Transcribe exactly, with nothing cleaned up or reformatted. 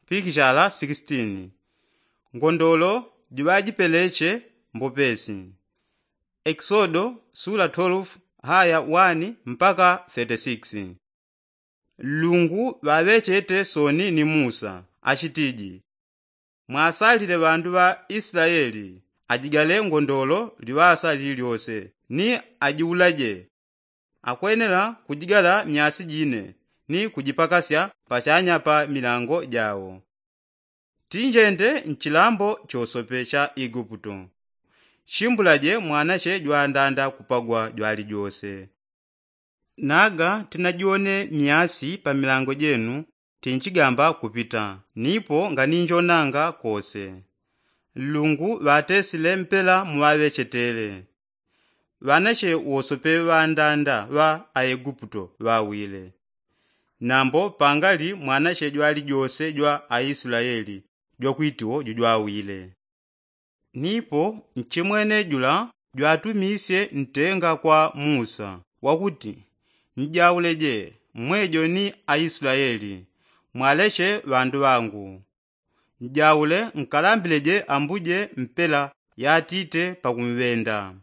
pikishala sikisitini. Ngondolo jiŵajipeleche mbopesi. Ekisodo sula twelefu haya wani mpaka thirty six. Nlungu ŵaŵechete soni ni musa achitiji, mwasalile ŵandu ŵa isilayeli ajigale ngondolo liŵasa lililyose ni ajiulaje. Akwenela kujigala myasi jine ni kujipakasya pachanya pa milango jawo. Tinjende nchilambo chosope cha iguputo. Chimbulaje mwanache jwandanda kupagwa jwalijose. Naga tinajiwone myasi pa milango jenu, tinchigamba kupita nipo nganinjonanga kose. Nlungu ŵatesile mpela muŵaŵechetele. Ŵanache wosope ŵandanda ŵa aeguputo ŵawile. Nambo pangali mwanache jwalijose jwa aisilayeli jwakwitiwo jujwawile. Nipo nchimwene jula jwatumisye ntenga kwa musa wakuti, njauleje mwejo ni aisilayeli, mwaleche ŵandu ŵangu. Njaule nkalambileje ambuje mpela yatite pakumŵenda.